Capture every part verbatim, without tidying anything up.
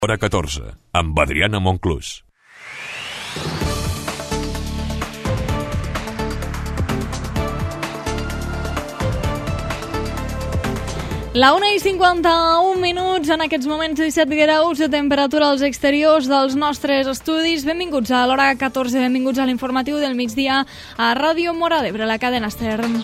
Hora catorze, amb Adriana Monclús. La una i cinquanta-un minuts, en aquests moments disset graus de temperatura als exteriors dels nostres estudis. Benvinguts a l'Hora catorze, benvinguts a l'informatiu del migdia a Ràdio Móra d'Ebre, la cadena Stern.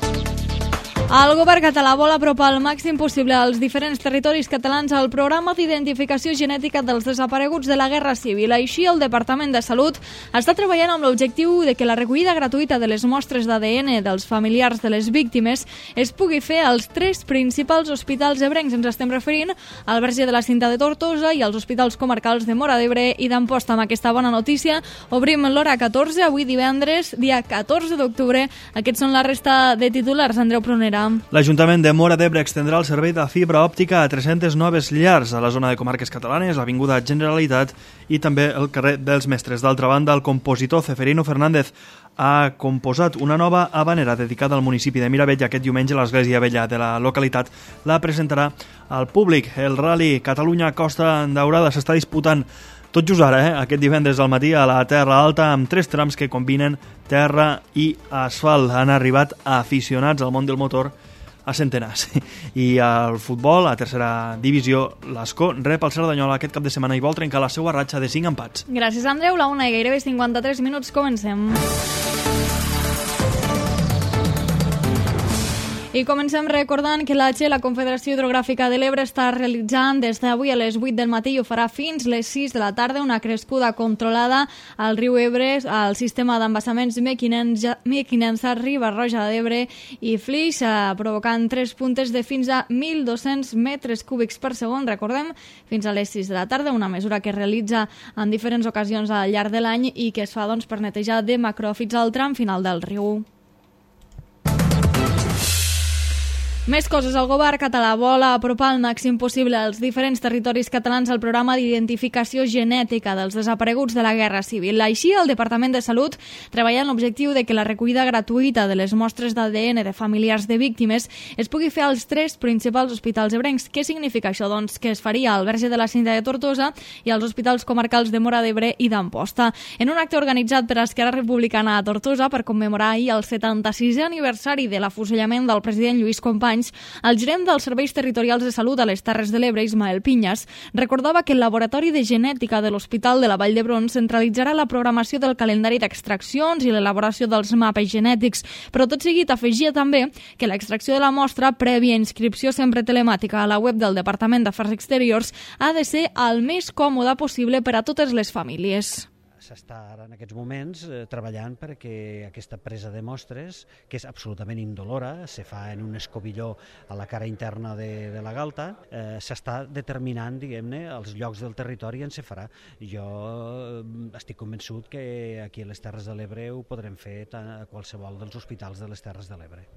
El govern català vol apropar al màxim possible als diferents territoris catalans al programa d'identificació genètica dels desapareguts de la Guerra Civil. Així, el Departament de Salut està treballant amb l'objectiu de que la recollida gratuïta de les mostres d'A D N dels familiars de les víctimes es pugui fer als tres principals hospitals ebrencs. Ens estem referint al Verge de la Cinta de Tortosa i als hospitals comarcals de Móra d'Ebre i d'Amposta. Amb aquesta bona notícia obrim l'Hora catorze, avui divendres, dia catorze d'octubre. Aquests són la resta de titulars. Andreu Pronera. L'Ajuntament de Móra d'Ebre extendrà el servei de fibra òptica a tres-centes noves llars a la zona de comarques catalanes, l'Avinguda Generalitat i també el carrer dels Mestres. D'altra banda, el compositor Ceferino Fernández ha composat una nova habanera dedicada al municipi de Miravet i aquest diumenge l'Església Vella de la localitat la presentarà al públic. El Rally Catalunya Costa Daurada s'està disputant tot just ara, eh? aquest divendres al matí a la Terra Alta, amb tres trams que combinen terra i asfalt. Han arribat aficionats al món del motor a centenars. I al futbol, a tercera divisió, l'Escó rep el Cerdanyola aquest cap de setmana i vol trencar la seva ratxa de cinc empats. Gràcies, Andreu. La una i gairebé cinquanta-tres minuts. Comencem. I comencem recordant que l'A G, la Confederació Hidrogràfica de l'Ebre, està realitzant des d'avui a les vuit del matí i ho farà fins les sis de la tarda una crescuda controlada al riu Ebre, al sistema d'embassaments Mequinensa, Riba-roja d'Ebre i Flix, provocant tres puntes de fins a mil dos-cents metres cúbics per segon, recordem, fins a les sis de la tarda, una mesura que es realitza en diferents ocasions al llarg de l'any i que es fa doncs, per netejar de macròfits al tram final del riu. Més coses. El govern català vol apropar al màxim possible als diferents territoris catalans al programa d'identificació genètica dels desapareguts de la Guerra Civil. Així, el Departament de Salut treballa en l'objectiu de que la recollida gratuïta de les mostres d'A D N de familiars de víctimes es pugui fer als tres principals hospitals ebrencs. Què significa això? Doncs que es faria al Verge de la Cinta de Tortosa i als hospitals comarcals de Móra d'Ebre i d'Amposta. En un acte organitzat per Esquerra Republicana a Tortosa per commemorar ahir el setanta-sisè aniversari de l'afusellament del president Lluís Companys, el gerent dels Serveis Territorials de Salut a les Terres de l'Ebre, Ismael Pinyas, recordava que el Laboratori de Genètica de l'Hospital de la Vall d'Hebron centralitzarà la programació del calendari d'extraccions i l'elaboració dels mapes genètics, però tot seguit afegia també que l'extracció de la mostra, prèvia inscripció sempre telemàtica a la web del Departament d'Afers Exteriors, ha de ser el més còmode possible per a totes les famílies. S'està ara en aquests moments eh, treballant perquè aquesta presa de mostres, que és absolutament indolora, se fa en un escobilló a la cara interna de, de la galta, eh, s'està determinant, diguem-ne, els llocs del territori on se farà. Jo eh, estic convençut que aquí a les Terres de l'Ebre ho podrem fer a qualsevol dels hospitals de les Terres de l'Ebre.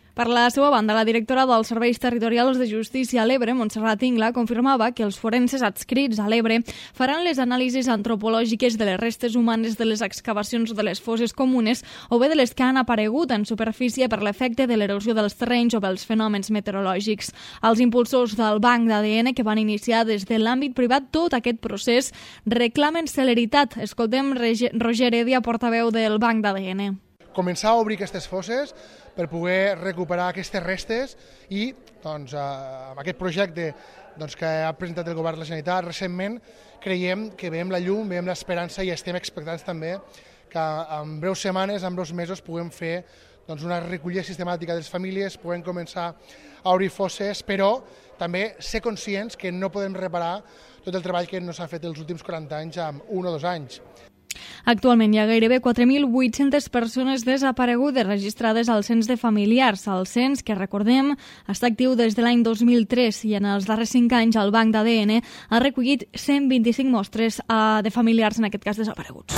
Per la seva banda, la directora dels Serveis Territorials de Justícia a l'Ebre, Montserrat Ingla, confirmava que els forenses adscrits a l'Ebre faran les anàlisis antropològiques de les restes humanes de les excavacions de les fosses comunes o bé de les que han aparegut en superfície per l'efecte de l'erosió dels terrenys o pels fenòmens meteorològics. Els impulsors del banc d'A D N, que van iniciar des de l'àmbit privat tot aquest procés, reclamen celeritat. Escoltem Roger Heredia, portaveu del banc d'A D N. Començar a obrir aquestes fosses per poder recuperar aquestes restes i doncs, amb aquest projecte doncs, que ha presentat el govern de la Generalitat recentment creiem que veiem la llum, veiem l'esperança i estem expectants també que en breus setmanes, en breus mesos puguem fer doncs, una recollida sistemàtica de les famílies, puguem començar a obrir fosses, però també ser conscients que no podem reparar tot el treball que no s'ha fet els últims quaranta anys en un o dos anys. Actualment hi ha gairebé quatre mil vuit-centes persones desaparegudes registrades al cens de familiars. El cens, que recordem, està actiu des de l'any dos mil tres i en els darrers cinc anys el banc d'A D N ha recollit cent vint-i-cinc mostres de familiars, en aquest cas desapareguts.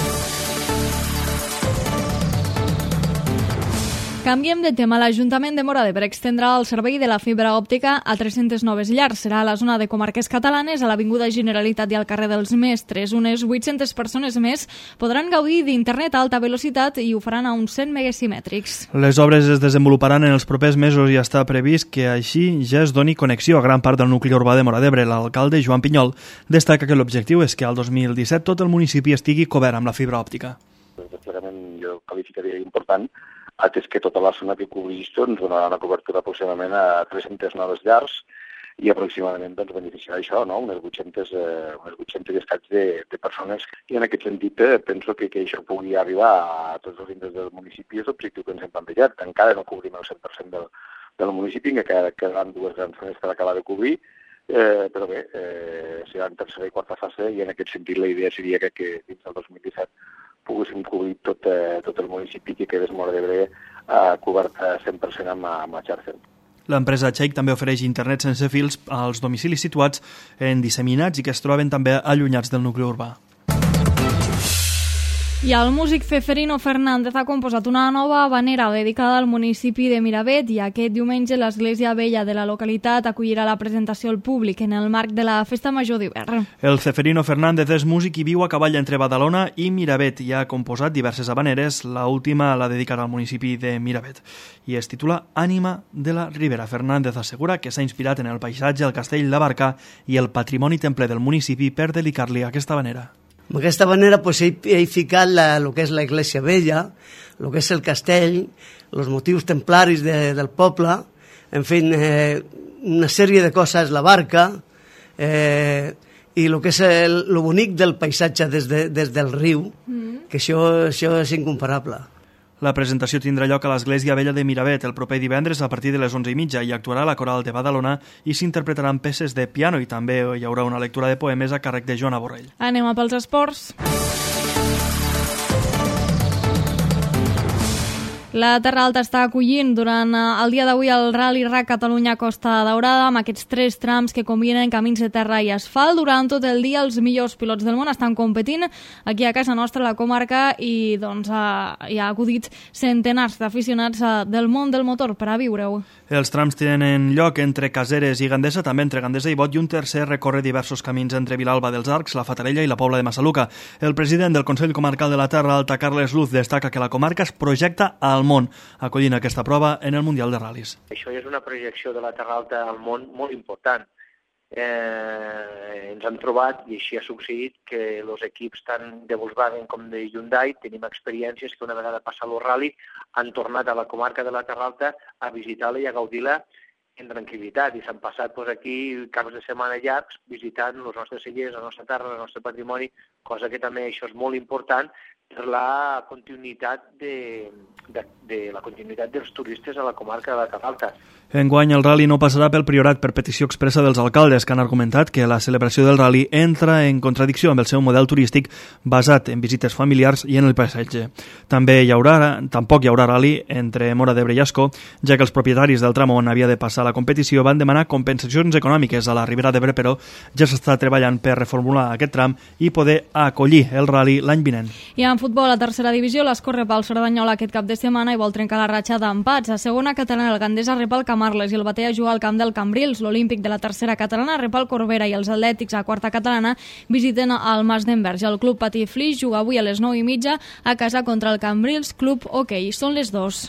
Canviem de tema. L'Ajuntament de Móra d'Ebre extendrà el servei de la fibra òptica a tres-centes noves llars. Serà a la zona de comarques catalanes, a l'Avinguda Generalitat i al carrer dels Mestres. Unes vuit-centes persones més podran gaudir d'internet a alta velocitat i ho faran a uns cent megasimètrics. Les obres es desenvoluparan en els propers mesos i està previst que així ja es doni connexió a gran part del nucli urbà de Móra d'Ebre. L'alcalde Joan Pinyol destaca que l'objectiu és que al dos mil disset tot el municipi estigui cobert amb la fibra òptica. El desplegament jo qualificaria important, atès que tota la zona que cobreix ens donarà una cobertura aproximadament a tres-centes noves llars i aproximadament doncs, beneficiarà això, no? unes vuit-centes, eh, unes vuit-centes estats de, de persones. I en aquest sentit eh, penso que, que això pugui arribar a tots els indrets del municipi és l'objectiu que ens hem plantejat. Encara no cobrim el cent per cent del, del municipi, que quedaran dues grans zones per acabar de cobrir, eh, però bé, eh, serà en tercera i quarta fase i en aquest sentit la idea seria que, que dins del dos mil disset poguéssim cobrir tot, eh, tot el municipi que quedés Móra d'Ebre eh, cobert cent per cent amb, amb la xarxa. L'empresa Cheik també ofereix internet sense fils als domicilis situats en disseminats i que es troben també allunyats del nucli urbà. I el músic Ceferino Fernández ha composat una nova habanera dedicada al municipi de Miravet i aquest diumenge l'Església Vella de la localitat acollirà la presentació al públic en el marc de la Festa Major d'hivern. El Ceferino Fernández és músic i viu a cavall entre Badalona i Miravet i ha composat diverses habaneres, la última la dedicarà al municipi de Miravet i es titula Ànima de la Ribera. Fernández assegura que s'ha inspirat en el paisatge, el castell, la barca i el patrimoni templer del municipi per dedicar-li aquesta habanera. Amb aquesta manera pues, he, he ficat la, el que és la Iglesia Vella, el que és el castell, els motius templaris de, del poble, en fi, eh, una sèrie de coses, la barca, eh, i el que és el, lo bonic del paisatge des, de, des del riu, mm. que això, això és incomparable. La presentació tindrà lloc a l'Església Vella de Miravet el proper divendres a partir de les onze i mitja i actuarà la Coral de Badalona i s'interpretaran peces de piano i també hi haurà una lectura de poemes a càrrec de Joana Borrell. Anem a pels esports. La Terra Alta està acollint durant el dia d'avui el Rally R A C Catalunya Costa Daurada amb aquests tres trams que combinen camins de terra i asfalt. Durant tot el dia els millors pilots del món estan competint aquí a casa nostra, a la comarca, i doncs hi ha acudit centenars d'aficionats del món del motor per a viure-ho. Els trams tenen lloc entre Caseres i Gandesa, també entre Gandesa i Bot, i un tercer recorre diversos camins entre Vilalba dels Arcs, la Fatarella i la Pobla de Massaluca. El president del Consell Comarcal de la Terra Alta, Carles Luz, destaca que la comarca es projecta al món, acollint aquesta prova en el Mundial de Ral·lis. Això és una projecció de la Terra Alta al món molt important. Eh, ens hem trobat, i així ha succeït, que els equips tant de Volkswagen com de Hyundai tenim experiències que una vegada passat el rally han tornat a la comarca de la Terra Alta a visitar-la i a gaudir-la en tranquil·litat, i s'han passat doncs, aquí caps de setmana llargs visitant els nostres cellers, la nostra terra, el nostre patrimoni, cosa que també això és molt important per la continuïtat de, de, de la continuïtat dels turistes a la comarca de la Terra Alta. Enguany el rally no passarà pel Priorat per petició expressa dels alcaldes, que han argumentat que la celebració del rally entra en contradicció amb el seu model turístic basat en visites familiars i en el paisatge. També hi haurà, tampoc hi haurà rally entre Móra d'Ebre i Ascó, ja que els propietaris del tram on havia de passar la competició van demanar compensacions econòmiques a la Ribera d'Ebre, però ja s'està treballant per reformular aquest tram i poder acollir el rally l'any vinent. I en futbol, a tercera divisió, l'Escó rep el Cerdanyola aquest cap de setmana i vol trencar la ratxa d'empats. A segona catalana, el Gandesa rep el Camarles i el Batea juga al camp del Cambrils. L'Olímpic de la tercera catalana rep el Corbera i els Atlètics a quarta catalana visiten el Mas d'Enverge. El club Patí Flix juga avui a les nou i mitja a casa contra el Cambrils Club Hockey. Són les dos.